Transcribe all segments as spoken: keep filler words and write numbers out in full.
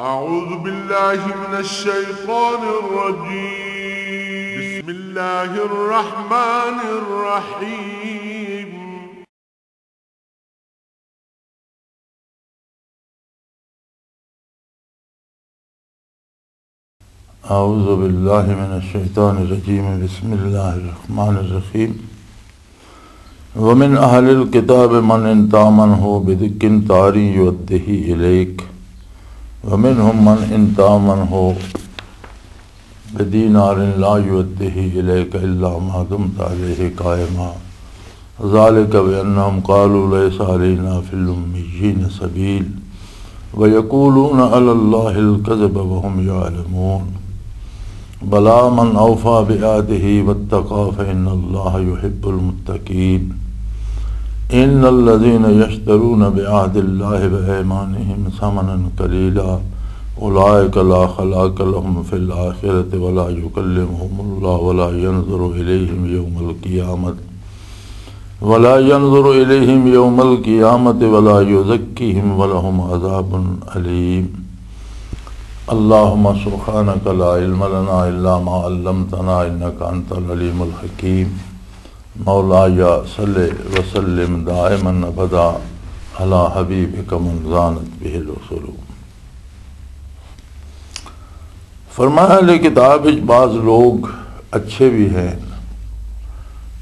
أعوذ بالله من الشيطان الرجيم. بسم الله الرحمن الرحيم. أعوذ بالله من الشيطان الرجيم. بسم الله الرحمن الرحيم. ومن أهل الكتاب من إن تأمنه بدقنطار يؤده إليك، ومنهم من إن تأمنه بدينار لا يؤده إليك إلا ما دمت عليه قائما، ذلك بأنهم قالوا ليس علينا في الأميين سبيل، ويقولون على الله الكذب وهم يعلمون. بلى من أوفى بعهده واتقى فإن الله يحب المتقين. إن الذين يشترون بعهد الله وأيمانهم ثمنا قليلا أولئك لا خلاق لهم في الآخرة ولا يكلمهم الله ولا ينظر إليهم يوم القيامة ولا ينظر إليهم يوم القيامة ولا يزكيهم ولهم عذاب أليم. اللهم سبحانك لا علم لنا إلا ما علمتنا إنك أنت العليم الحكيم. مولاي صل وسلم دائما أبدا على حبيبك من زانت به الرسل. فرمایا، اہل کتاب وچ بعض لوگ اچھے بھی ہیں،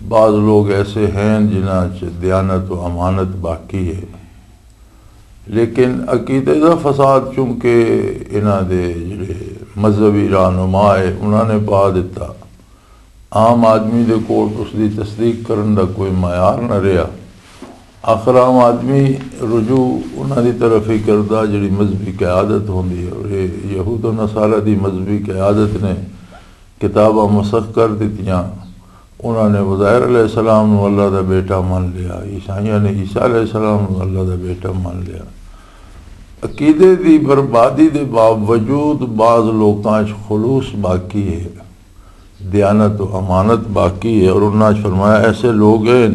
بعض لوگ ایسے ہیں جنہاں چ دیانت و امانت باقی ہے، لیکن عقیدے دا فساد چونکہ انہاں دے جڑے مذہبی رہنما ہے انہاں نے پا دتا۔ عام آدمی دے کول اس دی تصدیق کرن دا کوئی معیار نہ رہیا۔ آخر عام آدمی رجوع انہاں دی طرف ہی کردا جڑی مذہبی قیادت ہوندی ہے، اور یہ یہود و نصارہ دی مذہبی قیادت نے کتاباں مسخ کر دتیاں۔ انہاں نے عزیر علیہ السلام نو اللہ دا بیٹا مان لیا، عیسائیاں نے عیسیٰ علیہ السلام نو اللہ دا بیٹا مان لیا۔ عقیدے دی بربادی دے باوجود بعض لوکاں 'چ خلوص باقی ہے، دیانت و امانت باقی ہے، اور انہاں 'چ فرمایا ایسے لوگ ہیں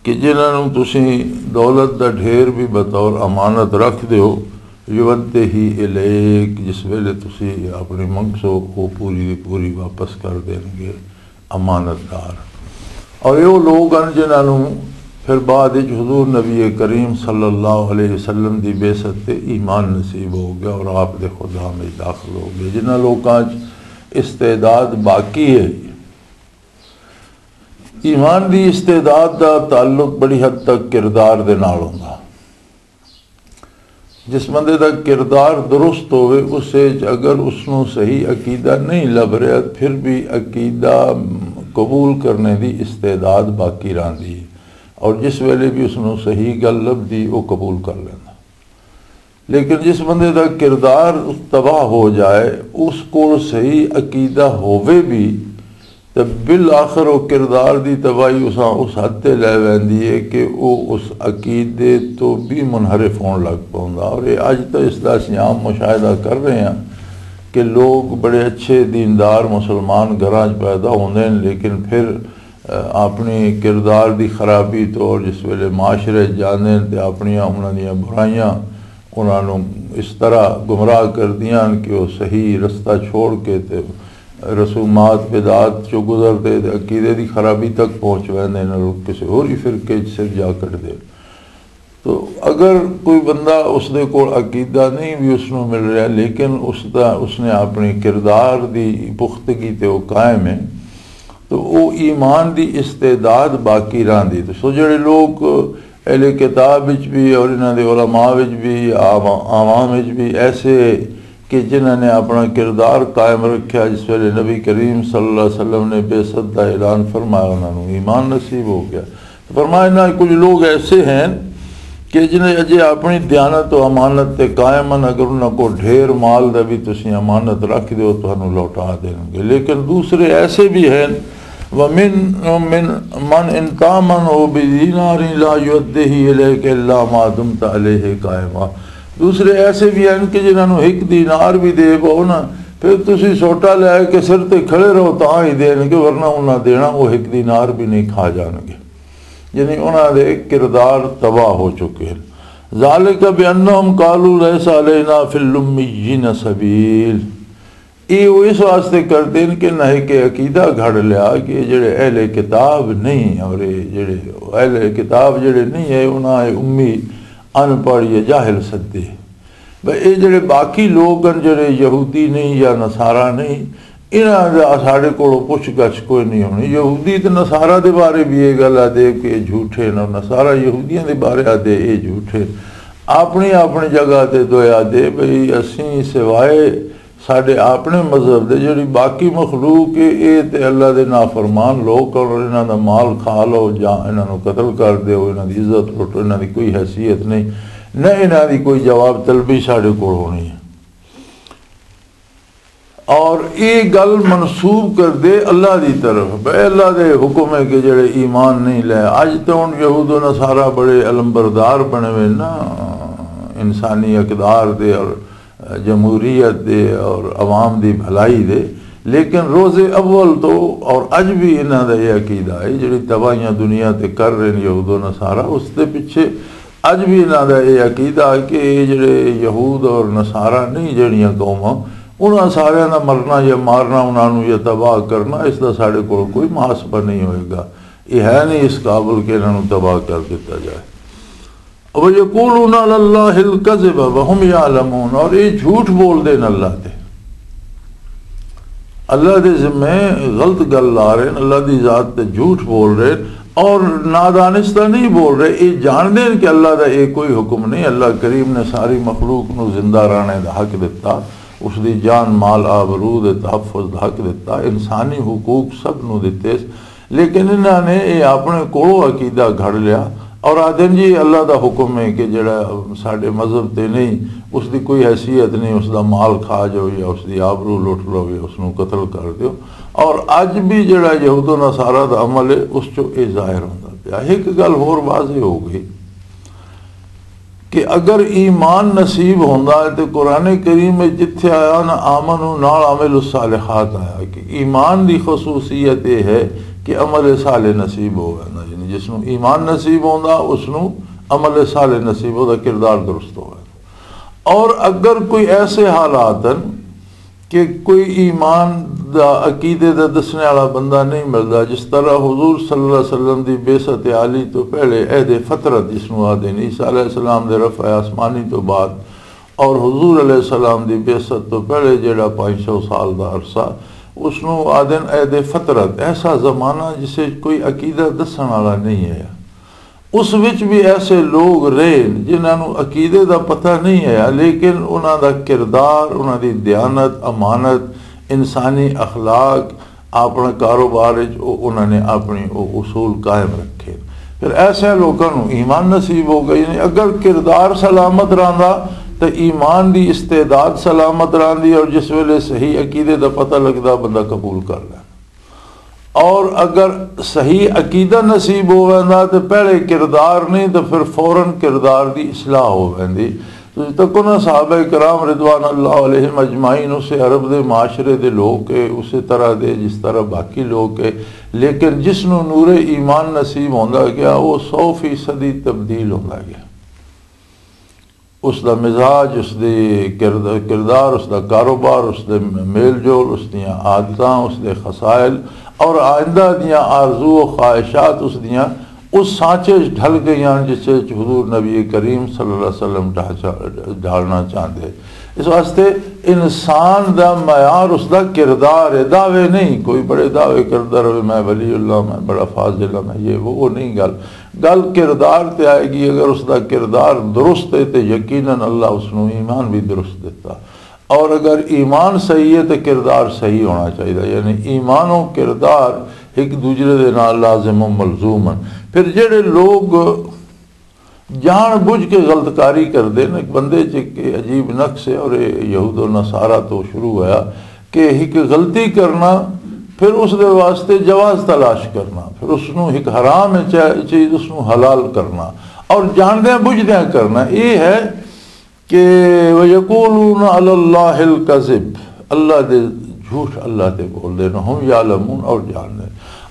کہ جنہاں نوں تسی دولت دا ڈھیر بھی بطور امانت رکھ دیو، یودتے ہی الیک، جس ویلے تسی اپنی منگسو، وہ پوری دی پوری واپس کر دین گے، امانت دار۔ اور یہ وہ لوگ ہیں جنہاں نوں پھر بعد وچ حضور نبی کریم صلی اللہ علیہ وسلم دی بعثت تے ایمان نصیب ہو گیا اور آپ دے خدام وچ داخل ہو گئے۔ جنہاں لوکاں وچ استعداد باقی ہے، ایمان دی استعداد دا تعلق بڑی حد تک کردار دے نال ہوندا۔ جس بندے دا کردار درست ہوئے، اس وچ اگر اس نوں صحیح عقیدہ نہیں لب رہا، پھر بھی عقیدہ قبول کرنے دی استعداد باقی رہندی ہے، اور جس ویلے بھی اس نوں صحیح گل لبدی، وہ قبول کر لیندا۔ لیکن جس بندے دا کردار تباہ ہو جائے، اس کول صحیح عقیدہ ہووے بھی، تے بالآخر وہ کردار دی تباہی اساں اس حد تے لے ویندی ہے کہ وہ اس عقیدے تو بھی منحرف ہون لگ پوندا۔ اور یہ اج تو اس دا اساں عام مشاہدہ کر رہے ہیں کہ لوگ بڑے اچھے دیندار مسلمان گھراں 'چ پیدا ہوندے ہیں، لیکن پھر، آ، اپنی کردار دی خرابی تو، اور جس ویلے معاشرے 'چ جاندے ہیں تے اپنیاں انہاں دیاں برائیاں انہاں نوں اس طرح گمراہ کر دیاں کہ وہ صحیح رستہ چھوڑ کے تے رسومات بدعات چوں گزر دے تے عقیدے دی خرابی تک پہنچ ویندے نے، لوگ کسے ہور ہی فرقے 'چ سر جا کٹدے۔ تو اگر کوئی بندہ اس دے کول عقیدہ نہیں بھی اس نوں مل رہا، لیکن اس دا، اس نے اپنے کردار دی پختگی تے وہ قائم ہے، تو وہ ایمان دی استعداد باقی رہندی۔ تو سو جڑے لوگ اہل کتاب وچ بھی اور انہاں دے علماء وچ بھی، عوا-، عوام وچ بھی ایسے کہ جنہاں نے اپنا کردار قائم رکھیا، جس ویلے نبی کریم صلی اللہ علیہ وسلم نے بعثت دا اعلان فرمایا، انہاں نوں ایمان نصیب ہو گیا۔ فرمایا، انہاں کچھ لوگ ایسے ہیں کہ جنہیں اجے اپنی دیانت و امانت تے قائم ہیں، اگر انہاں کو ڈھیر مال دا بھی تسی امانت رکھ دیو، تانوں لوٹا دین گے۔ لیکن دوسرے ایسے بھی ہیں، ومن، من، من ان تامن ہو بدینار لا یؤدہ الیک الا ما دمت علیہ قائما۔ دوسرے ایسے بھی ہیں کہ جنہاں نوں ایک دینار بھی دے پاؤ نا، پھر تسی سوٹا لے کے سر تے کھڑے رہو تاں ہی دین گے، ورنہ انہاں دینا، وہ ایک دینار بھی نہیں کھا جان گے۔ یعنی انہاں دے کردار تباہ ہو چکے ہیں۔ ذالک بانہم قالوا لیس علینا فی الامیین سبیل۔ یہ وہ اس واسطے کرتے ہیں کہ نہ کہ عقیدہ گھڑ لیا کہ یہ جڑے اہل کتاب نہیں، اور یہ جڑے اہل کتاب جڑے نہیں ہے، انہاں اے امی، ان پڑھ یا جاہل سدے۔ بھئی، اے جڑے باقی لوگ ہیں، جڑے یہودی نہیں یا نصارا نہیں، انہاں دا ساڈے کولوں پچھ گچھ کوئی نہیں ہونی۔ یہودی تے نصارا دے بارے بھی یہ گل آدے کہ یہ جھوٹے نے، نصارا یہودیاں دے بارے آدے یہ جھوٹے۔ اپنی اپنی جگہ تے دویا دے بھئی، اسیں سوائے ساڈے اپنے مذہب دے جڑی باقی مخلوق ہے، اے تے اللہ دے نافرمان لوگ اور انہاں دا مال کھا لو، یا انہاں نوں قتل کر دیو، انہاں دی عزت لٹو، انہاں دی کوئی حیثیت نہیں، نہ انہاں دی کوئی جواب طلبی ساڈے کول ہونی ہے۔ اور یہ گل منسوب کر دے اللہ دی طرف، بے اللہ دے حکم ہے کہ جڑے ایمان نہیں لے۔ اج تو ہن یہود و نصارہ بڑے علمبردار بنے ہوئے نا، انسانی اقدار دے اور جمہوریت دے اور عوام دی بھلائی دے، لیکن روز اول تو اور اج بھی انہاں دا یہ عقیدہ ہے، جڑی تباہیاں دنیا تے کر رہے ہیں یہود و نصارہ، اس دے پیچھے اج بھی انہاں دا یہ عقیدہ ہے کہ یہ جڑے یہود اور نصارہ نہیں، جڑیاں قوماں، انہاں ساریاں دا مرنا یا مارنا، انہاں نوں یا تباہ کرنا، اس دا ساڈے کول کوئی محاسبہ نہیں ہوئے گا۔ یہ ہے نہیں اس قابل کہ انہاں نوں تباہ کر دتا جائے۔ وَيَقُولُونَ عَلَى اللَّهِ الْكَذِبَ وَهُمْ يَعْلَمُونَ، اور یہ جھوٹ بول دے نے اللہ تے، اللہ دے ذمے غلط گل لا رہے ہیں، اللہ دی ذات تے جھوٹ بول رہے ہیں، اور نادانستہ نہیں بول رہے۔ یہ جان دے کہ اللہ دا یہ کوئی حکم نہیں۔ اللہ کریم نے ساری مخلوق نو زندہ رہنے دا حق دتا، اس دی جان، مال، آبرو دے تحفظ دا حق دتا، انسانی حقوق سب نو دتے، لیکن انہاں نے یہ اپنے کولوں عقیدہ گھڑ لیا اور آدھن جی اللہ دا حکم ہے کہ جڑا ساڈے مذہب تے نہیں، اس دی کوئی حیثیت نہیں، اس دا مال کھا جاؤ یا اس دی آبرو لٹ لو یا اس نو قتل کر دیو۔ اور اج بھی جڑا یہود و نصارہ دا عمل ہے، اس چوں یہ ظاہر ہوندا پیا۔ ایک گل ہور واضح ہو گئی کہ اگر ایمان نصیب ہوندا ہے تے قرآن کریم وچ جتھے آیا نا، آمنو نال عامل الصالحات آیا، کہ ایمان دی خصوصیت یہ ہے کہ عمل صالح نصیب ہو ویندا، یعنی جس نوں ایمان نصیب ہوندا، اس نوں عمل صالح نصیب ہوندا، کردار درست ہو ویندا۔ اور اگر کوئی ایسے حالات ہیں کہ کوئی ایمان دا، عقیدے دا دسنے والا بندہ نہیں ملدا، جس طرح حضور صلی اللہ علیہ وسلم دی بعثت عالی تو پہلے عہد فترت، جس نوں آدھے نے، عیسیٰ علیہ السلام دے رفع آسمانی تو بعد اور حضور علیہ السلام دی بعثت تو پہلے جڑا پانچ سو سال دا عرصہ، اس نوں آدھن عہد فترت، ایسا زمانہ جسے کوئی عقیدہ دسن والا نہیں ہے۔ اس وچ بھی ایسے لوگ رہے جنہاں نوں عقیدے دا پتہ نہیں ہے، لیکن انہاں دا کردار، انہاں دی دیانت، امانت، انسانی اخلاق، اپنا کاروبار وچ او، انہاں نے اپنی او اصول قائم رکھے۔ پھر ایسے لوکاں نوں ایمان نصیب ہو گئی۔ یعنی اگر کردار سلامت رہندا تے ایمان دی استعداد سلامت رہندی، اور جس ویلے صحیح عقیدے دا پتہ لگدا، بندہ قبول کر لیندا۔ اور اگر صحیح عقیدہ نصیب ہو ویندا تے پہلے کردار نہیں، تو پھر فوراً کردار دی اصلاح ہو ویندی۔ تسی تکو نا، صحابہ کرام رضوان اللہ علیہم اجمعین اسے عرب دے معاشرے دے لوگ کے، اسے طرح دے جس طرح باقی لوگ کے، لیکن جس نوں نور ایمان نصیب ہوندا گیا، وہ سو فیصدی تبدیل ہوندا گیا۔ اس دا مزاج، اس دی کرد-، کردار، اس دا کاروبار، اس دے میل جول، اس دیاں عادتاں، اس دے خصائل اور آئندہ دیاں آرزو و خواہشات اس دیاں اس سانچے وچ ڈھل گئیاں جس وچ حضور نبی کریم صلی اللہ علیہ وسلم ڈھا-، ڈھالنا چاہندے۔ اس واسطے انسان دا معیار اس دا کردار ہے، دعوے نہیں۔ کوئی بڑے دعوے کردا رہے، میں ولی اللہ، میں بڑا فاضل ہاں، میں یہ وہ، وہ نہیں گل۔ گل کردار تے آئے گی۔ اگر اس دا کردار درست ہے تے یقیناً اللہ اس نوں ایمان بھی درست دیتا۔ اور اگر ایمان صحیح ہے تے کردار صحیح ہونا چاہیے، یعنی ایمان و کردار ایک دوسرے دے نال لازم و ملزوم ہیں۔ پھر جڑے لوگ جان بوجھ کے غلط کاری کردے نے، ایک بندے چ ایک عجیب نقص ہے، اور یہ یہود و نصارہ تو شروع ہویا کہ ایک غلطی کرنا، پھر اس دے واسطے جواز تلاش کرنا، پھر اس نوں ایک حرام ہے چا-، چیز، اس نوں حلال کرنا، اور جاندیاں بوجھدیاں کرنا، یہ ہے کہ وَيَقُولُونَ عَلَى اللَّهِ الْكَذِبَ، اللہ دے جھوٹ اللہ تے بول دے، وَهُمْ يَعْلَمُونَ، اور جان دے۔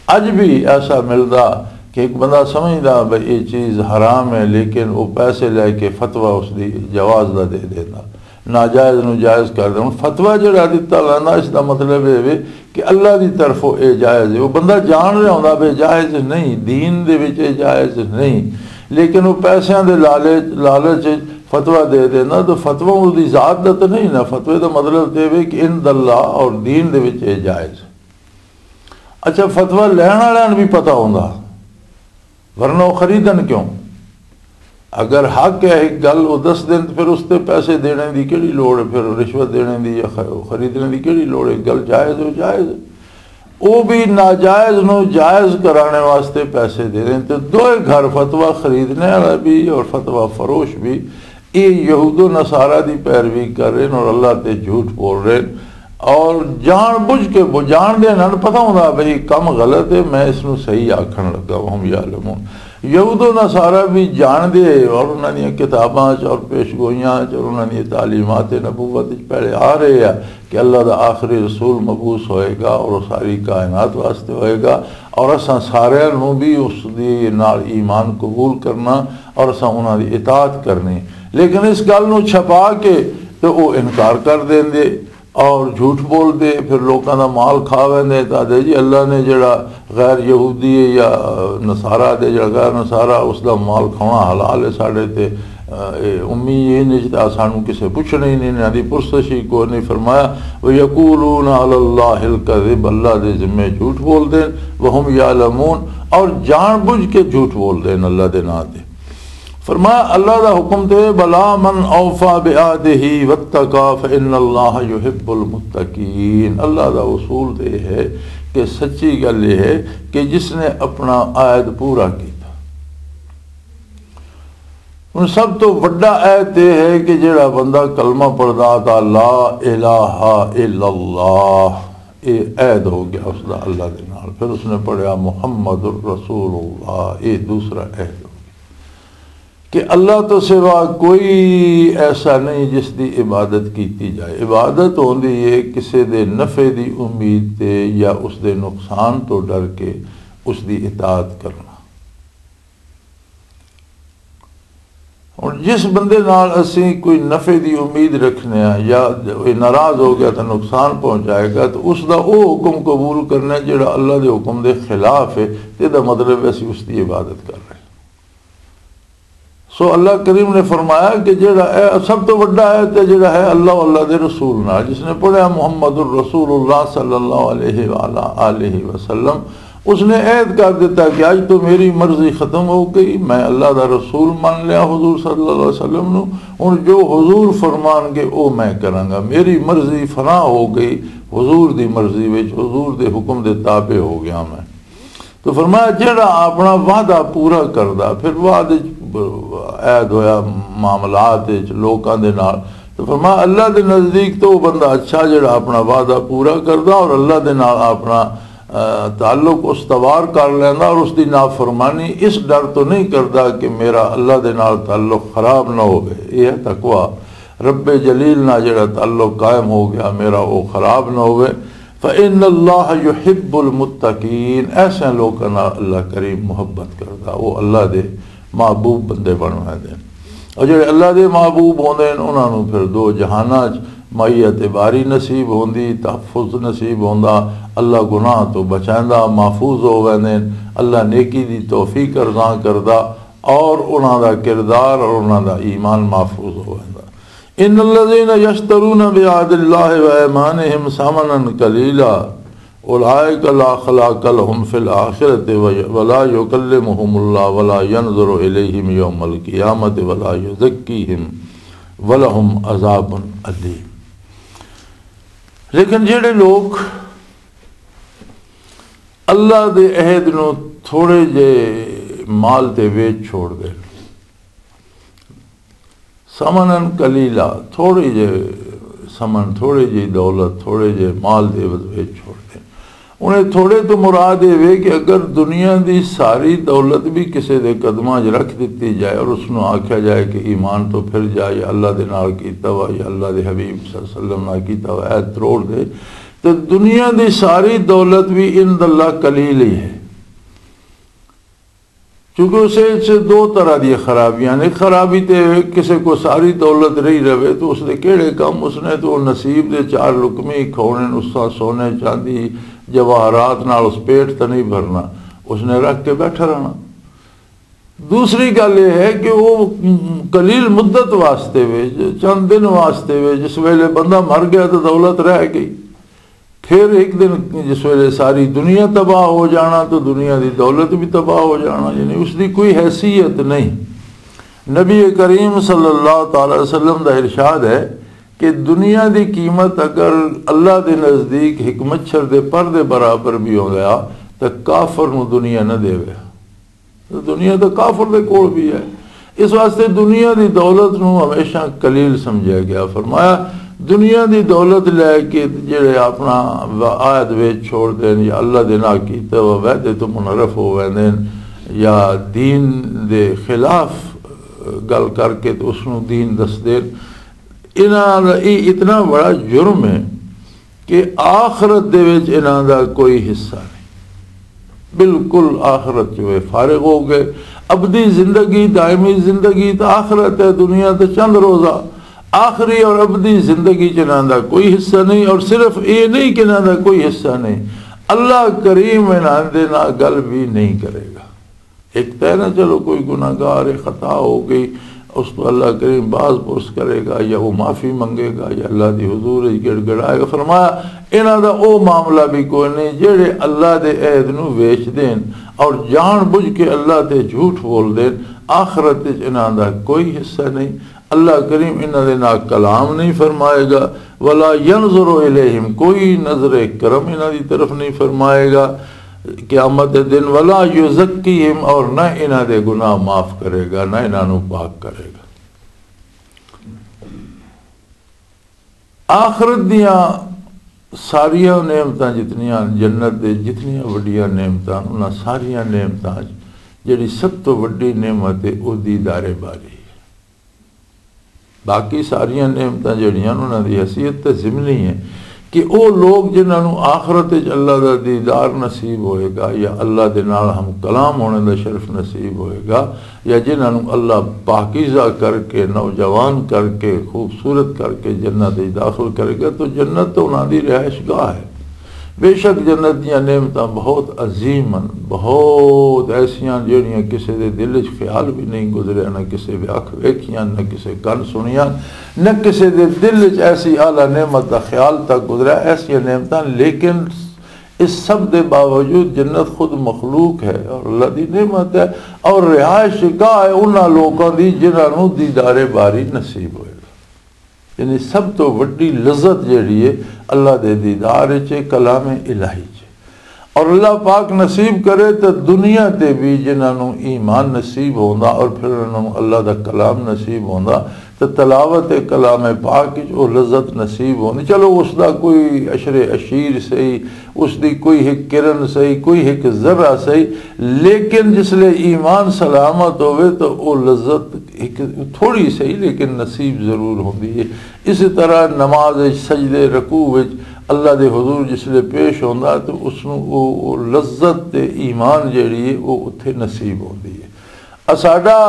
اج بھی ایسا ملدا کہ ایک بندہ سمجھدا بھئی یہ چیز حرام ہے، لیکن وہ پیسے لے کے فتویٰ اس دی جواز دا دے دینا، ناجائز نو جائز کر دینا۔ فتویٰ جڑا دتا ویندا، اس دا مطلب یہ وے کہ اللہ دی طرفوں یہ جائز ہے۔ وہ بندہ جان رہا ہوندا بھئی جائز نہیں، دین دے وچ یہ جائز نہیں، لیکن وہ پیسیاں دے لالچ لالچ وچ فتویٰ دے دینا۔ تو فتویٰ اس دی ذات دا تو نہیں نا، فتوے دا مطلب تے وے کہ ان اللہ اور دین دے وچ یہ جائز۔ اچھا، فتویٰ لین والے نوں بھی پتہ ہوندا، ورنہ وہ خریدن کیوں؟ اگر حق ہے ایک گل وہ دس دین، تو پھر اس تے پیسے دینے دی کیڑی لوڑ ہے؟ پھر رشوت دینے دی یا خ-، خریدنے دی کیڑی لوڑ ہے؟ گل جائز ہو، جائز ہے۔ وہ بھی ناجائز نو جائز کرانے واسطے پیسے دے رہے ہیں۔ تو دوئے گھر، فتویٰ خریدنے والا بھی اور فتویٰ فروش بھی، یہ یہود و نصارہ دی پیروی کر رہے ہیں اور اللہ تے جھوٹ بول رہے ہیں، اور جان بوجھ کے، وہ جان دے، انہاں نوں پتہ ہوندا بھئی کم غلط ہے، میں اس نوں صحیح آکھن لگا۔ وہم یعلمون۔ یہود و نصارہ بھی جان دے اور انہاں دیاں کتاباں چ اور پیش گوئیاں چ اور انہاں دی تعلیمات نبوت وچ پہلے آ رہے ہیں کہ اللہ دا آخری رسول مبعوث ہوئے گا اور وہ ساری کائنات واسطے ہوئے گا، اور اساں سارے نوں بھی اس دی نال ایمان قبول کرنا اور اساں انہاں دی اطاعت کرنی۔ لیکن اس گل نوں چھپا کے تے او انکار کر دیندے اور جھوٹ بول دے، پھر لوکاں دا مال کھا ویندے۔ تے آدھے جی اللہ نے جڑا غیر یہودی ہے یا نصارہ دے، جڑا غیر نصارہ، اس دا مال کھانا حلال ہے ساڈے تے، اے امی یہ نہیں تے سانو کسے پوچھنا ہی نہیں، انہاں دی پرسش ہی کوئی نہیں۔ فرمایا، وَيَقُولُونَ عَلَى اللَّهِ الْكَذِبَ، اللہ دے ذمے جھوٹ بول دین، وَهُمْ يَعْلَمُونَ، اور جان بوجھ کے جھوٹ بول دین اللہ دے نام تے۔ فرمایا اللہ دا حکم تے، بلا من اوفا بعہدہ واتقا فان اللہ یحب المتقین۔ اللہ دا اصول تے یہ ہے کہ سچی گل یہ ہے کہ جس نے اپنا عہد پورا کیتا۔ ہن سب تو وڈا عہد یہ ہے کہ جڑا بندہ کلمہ پڑھدا تا لا الہ الا اللہ، یہ عہد ہو گیا اس دا اللہ دے نال۔ پھر اس نے پڑھیا محمد الرسول اللہ، یہ دوسرا عہد ہو گیا۔ کہ اللہ تو سوا کوئی ایسا نہیں جس دی عبادت کیتی جائے۔ عبادت ہوندی ہے کسے دے نفع دی امید تے یا اس دے نقصان تو ڈر کے اس دی اطاعت کرنا۔ اور جس بندے نال اسی کوئی نفع دی امید رکھنے ہاں یا کوئی ناراض ہو گیا تو نقصان پہنچائے گا، تو اس دا او حکم قبول کرنا ہے جڑا اللہ دے حکم دے خلاف ہے، تے دا مطلب ہے اسی اس دی عبادت کر رہے ہیں۔ سو اللہ کریم نے فرمایا کہ جڑا اے سب تو وڈا ہے تے جڑا ہے اللہ و اللہ دے رسول نال، جس نے پڑھیا محمد الرسول اللہ صلی اللہ علیہ وآلہ آلہ وسلم، اس نے عہد کر دیتا کہ اج تو میری مرضی ختم ہو گئی، میں اللہ دا رسول مان لیا حضور صلی اللہ علیہ وسلم نو، ہن جو حضور فرمان گے او میں کراں گا، میری مرضی فنا ہو گئی، حضور دی مرضی وچ، حضور دے حکم دے تابع ہو گیا میں۔ تو فرمایا جڑا اپنا وعدہ پورا کردا، پھر بعد وچ عہد ہویا، معاملات وچ لوکاں دے نال، تو فرمایا اللہ دے نزدیک تو وہ بندہ اچھا جڑا اپنا وعدہ پورا کردا اور اللہ دے نال اپنا، آ، تعلق استوار کر لیندا اور اس دی نافرمانی اس ڈر تو نہیں کردا کہ میرا اللہ دے نال تعلق خراب نہ ہوئے۔ یہ ہے تقوی۔ رب جلیل نال جڑا تعلق قائم ہو گیا میرا، وہ خراب نہ ہوئے۔ فَإِنَّ اللَّهَ يُحِبُّ الْمُتَّقِينَ، ایسے لوکاں نال اللہ کریم محبت کردا، وہ اللہ دے محبوب بندے بن ویندے۔ اور جڑے اللہ دے محبوب ہوندے ہیں، انہاں نوں پھر دو جہاناں 'چ معیت باری نصیب ہوندی، تحفظ نصیب ہوندا، اللہ گناہ تو بچائندا، محفوظ ہو ویندے ہیں، اللہ نیکی دی توفیق ارزاں کردا اور انہاں دا کردار اور انہاں دا ایمان محفوظ ہو ویندا۔ ان الذين يشترون بعهد الله وايمانهم ثمنا قليلا اولئك لا خلاق لهم في الاخره ولا يكلمهم الله ولا ينظر اليهم يوم القيامه ولا يزكيهم ولهم عذاب اليم۔ لیکن جڑے لوگ اللہ دے عہد نو تھوڑے جے مال تے ویچ چھوڑ دے، ثمناً قلیلا، تھوڑے جے ثمن، تھوڑے جے دولت، تھوڑے جے مال دے عوض وچ چھوڑ دے۔ انہیں تھوڑے تو مراد یہ وے کہ اگر دنیا دی ساری دولت بھی کسے دے قدماں 'چ رکھ دتی جائے اور اس نو آکھیا جائے کہ ایمان تو پھر جا، یا اللہ دے نال کیتا وا یا اللہ دے حبیب صلی اللہ علیہ وسلم نال کیتا وا عہد تروڑ دے، تے دنیا دی ساری دولت بھی عند اللہ قلیل ہی ہے۔ کیونکہ اس وچ دو طرح دی خرابیاں نے۔ خرابی تے کسے کو ساری دولت رہی رہے تو اس دے کہڑے کم؟ اس نے تو نصیب دے چار لقمے ہی کھاؤنے، اس طرح سونے، چاندی، جواہرات نال اس پیٹ تے نہیں بھرنا، اس نے رکھ کے بیٹھا رہنا۔ دوسری گل یہ ہے کہ وہ قلیل مدت واسطے وے، چند دن واسطے وے، جس ویلے بندہ مر گیا تو دولت رہ گئی۔ پھر ایک دن جس ویلے ساری دنیا تباہ ہو جانا تو دنیا دی دولت بھی تباہ ہو جانا، یعنی اس دی کوئی حیثیت نہیں۔ نبی کریم صلی اللہ تعالی وسلم دا ارشاد ہے کہ دنیا دی قیمت اگر اللہ دے نزدیک ایک مچھر دے پر دے برابر بھی ہو گیا تو کافر نو دنیا نہ دے۔ دنیا تو کافر دے کول بھی ہے۔ اس واسطے دنیا دی دولت نو ہمیشہ قلیل سمجھیا گیا۔ فرمایا، دنیا دی دولت لے کے جڑے اپنا آیت ویچ چھوڑ دین یا اللہ دے نال کیتے ہوئے وعدے تو منحرف ہو ویندے نے یا دین دے خلاف گل کر کے تو اس نو دین دس دین، انہاں دا یہ اتنا بڑا جرم ہے کہ آخرت دے وچ انہاں دا کوئی حصہ نہیں۔ بالکل آخرت چ وہ فارغ ہو گئے۔ ابدی زندگی، دائمی زندگی تو آخرت ہے، دنیا تو چند روزہ۔ آخری اور ابدی زندگی چ انہاں دا کوئی حصہ نہیں، اور صرف یہ نہیں کہ انہاں دا کوئی حصہ نہیں، اللہ کریم انہاں دے نال گل بھی نہیں کرے گا۔ ایک تو ہے نا، چلو کوئی گناہگار ہے، خطا ہو گئی، اس تو اللہ کریم باز پرس کرے گا یا وہ معافی منگے گا یا اللہ دی حضور وچ گڑ گڑائے گا۔ فرمایا، انہاں دا او معاملہ بھی کوئی نہیں جڑے اللہ دے عہد نو ویچ دین اور جان بوجھ کے اللہ تے جھوٹ بول دین۔ آخرت وچ انہاں دا کوئی حصہ نہیں۔ اللہ کریم انہاں دے نال کلام نہیں فرمائے گا۔ ولا ينظر الیہم، کوئی نظر کرم انہاں دی طرف نہیں فرمائے گا قیامت دے دن۔ ولا یزکیہم، اور نہ انہاں دے گناہ معاف کرے گا، نہ انہاں نو پاک کرے گا۔ آخرت دیاں ساریاں نعمتاں جتنیاں، جنت دے جتنیاں وڈیاں نعمتاں، انہاں ساریاں نعمتاں وچ جڑی سب تو وڈی نعمت ہے، او دیدار باری ہے۔ باقی ساریاں نعمتاں جڑیاں، انہاں دی حیثیت تے ضمنی ہے کہ او لوگ جنہاں نوں آخرت وچ اللہ دا دیدار نصیب ہوئے گا یا اللہ دے نال ہم کلام ہونے دا شرف نصیب ہوئے گا، یا جنہاں نوں اللہ پاکیزہ کر کے، نوجوان کر کے، خوبصورت کر کے جنت وچ داخل کرے گا، تو جنت تو انہاں دی رہائش گاہ ہے۔ بے شک جنت دیاں نعمتاں بہت عظیم ہن، بہت ایسیاں جہڑیاں کسے دے دل وچ خیال بھی نہیں گزریا، نہ کسے دے اکھ ویکھیاں، نہ کسے کن سنیاں، نہ کسے دے دل وچ ایسی اعلیٰ نعمت دا خیال تک گزریا۔ ایسیاں نعمتاں، لیکن اس سب دے باوجود جنت خود مخلوق ہے اور اللہ دی نعمت ہے، اور رہائش گاہ ہے انہاں لوکاں دی جنہاں نوں دیدار باری نصیب ہوئے۔ یعنی سب تو وڈی لذت جیڑی ہے اللہ دے دیدار وچ، کلام الہی چ۔ اور اللہ پاک نصیب کرے تو دنیا تے بھی جنہاں نوں ایمان نصیب ہوندا اور پھر انہاں نوں اللہ دا کلام نصیب ہوندا، تو تلاوت کلام پاک وچ او لذت نصیب ہوندی۔ چلو، اس دا کوئی عشر عشیر صحیح، اس دی کوئی ایک کرن صحیح، کوئی ایک ذرہ صحیح، لیکن جس لے ایمان سلامت ہوئے تو او لذت ایک تھوڑی صحیح لیکن نصیب ضرور ہوندی ہے۔ اسی طرح نماز وچ سجدے، رکوع وچ اللہ دے حضور جس لے پیش ہوندا تو اس نوں او، او لذت تے ایمان جیڑی ہے، او اتھے نصیب ہوندی ہے۔ اساڈا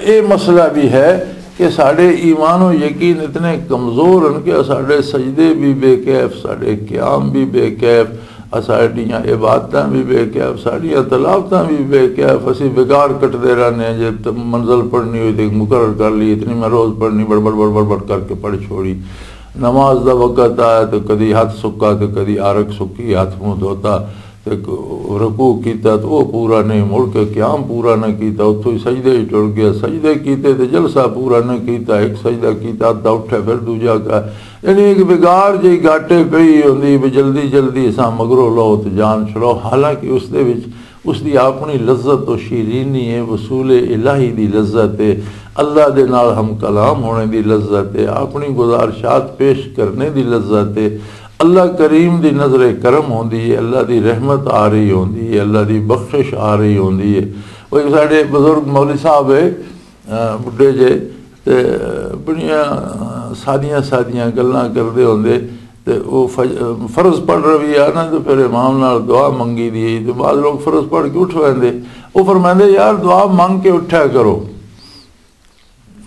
اے مسئلہ بھی ہے کہ ساڈے ایمان و یقین اتنے کمزور ہیں کہ ساڈے سجدے بھی بے کیف، ساڈے قیام بھی بے کیف، ساڈیاں عبادتاں بھی بے کیف، ساڈیاں تلاوتاں بھی بے کیف۔ اسی بگاڑ کٹدے رہنے ہیں، جے ت-، منزل پڑھنی ہوئی تے مقرر کر لی، اتنی میں روز پڑھنی، بڑ بڑ بڑ بڑ بڑ کر کے پڑھ چھوڑی۔ نماز دا وقت آیا تو کدی ہاتھ سکا تو کدی عارق سکی، ہاتھ منہ دھوتا۔ تے رکوع کیتا تے او پورا نہیں، مڑ کے قیام پورا نہ کیتا، اتھوں ہی سجدے ہی ٹر گیا، سجدے کیتے تے جلسہ پورا نہ کیتا، ایک سجدہ کیتا، ادھا اٹھے پھر دوجا کا، یعنی ایک بگاڑ جی گاٹے پئی ہوندی بھی جلدی جلدی اساں مگرو لو تے جان چھڑو، حالانکہ اس دے وچ اس دی اپنی لذت و شیرینی ہے، وصول الہی دی لذت ہے، اللہ دے نال ہم کلام ہونے دی لذت ہے، اپنی گزارشات پیش کرنے دی لذت ہے۔ اللہ کریم دی نظر کرم ہوندی ہے، اللہ دی رحمت آ رہی ہوندی ہے، اللہ دی بخشش آ رہی ہوندی ہے۔ وہ ایک ساڈے بزرگ مولوی صاحب ہے، آ، بڈھے جے، تے بڑیاں سادیاں سادیاں گلاں کردے ہوندے، تے وہ فج-، فرض پڑھ رہی آ نا، تے پھر امام نال دعا منگی دی ہے، تے بعض لوگ فرض پڑھ کے اٹھ ویندے، وہ فرمائندے، یار، دعا منگ کے اٹھیا کرو،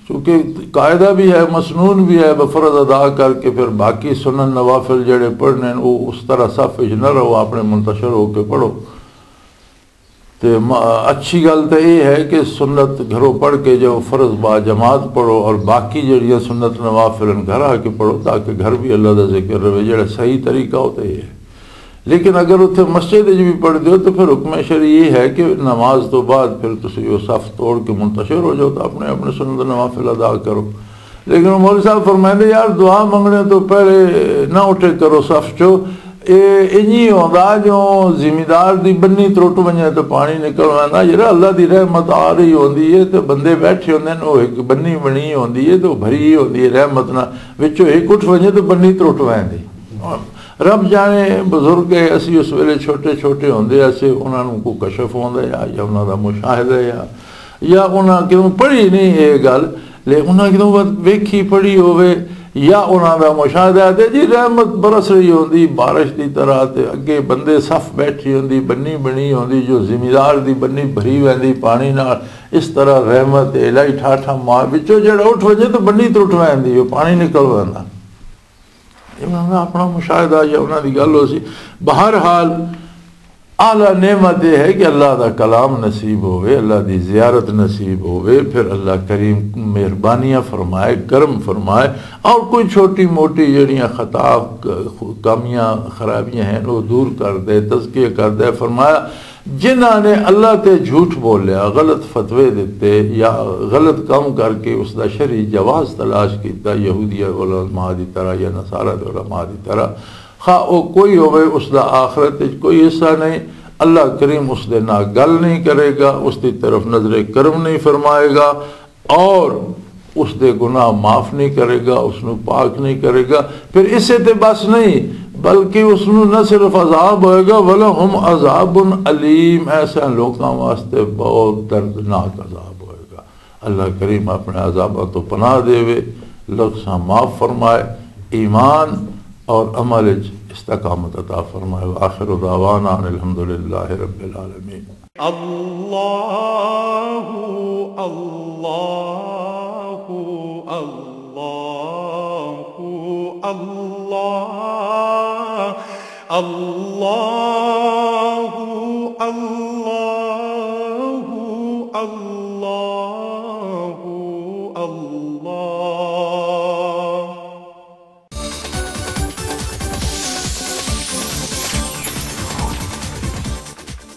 کیونکہ قاعدہ بھی ہے، مسنون بھی ہے، فرض ادا کر کے پھر باقی سنن نوافل جڑے پڑھنے ہیں، وہ اس طرح صف وچ نہ رہو، اپنے منتشر ہو کے پڑھو۔ تے م-، اچھی گل تے یہ ہے کہ سنت گھروں پڑھ کے جو فرض با جماعت پڑھو اور باقی جڑیاں سنت نوافل ہیں گھر آ کے پڑھو، تاکہ گھر بھی اللہ دا ذکر رہے۔ جڑا صحیح طریقہ ہوتا یہ ہے۔ لیکن اگر اتھے مسجد وچ بھی پڑھ دیو تو پھر حکم شرعی یہ ہے کہ نماز تو بعد پھر تسی وہ صف توڑ کے منتشر ہو جاؤ تو اپنے اپنے سنت نوافل ادا کرو۔ لیکن وہ مولوی صاحب فرمائندے، یار، دعا منگنے تو پہلے نہ اٹھے کرو صف چو۔ اے انجی ہوندا جو زمیندار دی بنی ترٹ ونجے تے پانی نکل ویندا۔ جڑا اللہ دی رحمت آ رہی ہوندی ہے تے بندے بیٹھے ہوندے نے، او ایک بنی بنی ہوندی ہے تے او بھری ہوندی ہے رحمت نال، وچوں ایک اٹھ ونجے تے بنی ترٹ ویندی۔ رب جانے، بزرگ ہے، اسی اس ویلے چھوٹے چھوٹے ہوندے اسے، انہاں نوں کوئی کشف ہوندا یا یا انہاں دا مشاہدہ یا یا انہاں کیوں پڑھی نہیں یہ گل، لے انہاں کیوں ویکھی پڑھی ہوئے یا انہاں دا مشاہدہ ہے تے جی رحمت برس رہی ہوندی بارش دی طرح، تے اگے بندے صف بیٹھی ہوندی، بنی بنی ہوندی، جو زمیندار دی بنی بھری ویندی پانی نال، اس طرح رحمت الہی ٹھاٹھا مار وچوں جڑا اٹھ وجے تو بنی ترٹ ویندی، وہ پانی نکل ویندا۔ یہ انہاں دا اپنا مشاہدہ یا انہاں دی گل ہو سی۔ بہرحال، اعلیٰ نعمت یہ ہے کہ اللہ دا کلام نصیب ہوئے، اللہ دی زیارت نصیب ہوئے، پھر اللہ کریم مہربانیاں فرمائے، کرم فرمائے، اور کوئی چھوٹی موٹی جڑیاں خطا، کمیاں، خرابیاں ہیں، وہ دور کر دے، تزکیہ کر دے۔ فرمایا، جنہاں نے اللہ تے جھوٹ بولیا، غلط فتوے دتے یا غلط کام کر کے اس دا شرعی جواز تلاش کیتا، یہودی علماء دی طرح یا نصارہ دے علماء دی طرح، خواہ او کوئی ہوئے، اس دا آخرت وچ کوئی حصہ نہیں۔ اللہ کریم اس دے نال گل نہیں کرے گا، اس دی طرف نظر کرم نہیں فرمائے گا، اور اس دے گناہ معاف نہیں کرے گا، اس نو پاک نہیں کرے گا۔ پھر اسے تے بس نہیں، بلکہ اس نو نہ صرف عذاب ہوئے گا، وَلَهُمْ عَذَابٌ أَلِيمٌ، ایسے لوکاں واسطے بہت دردناک عذاب ہوئے گا۔ اللہ کریم اپنے عذاباں تو پناہ دے وے، لغزاں معاف فرمائے، ایمان اور عمل وچ استقامت عطا فرمائے۔ وآخر دعوانا ان الحمدللہ رب العالمین۔ اللہ، اللہ، اللہ، اللہ، اللہ، اللہ۔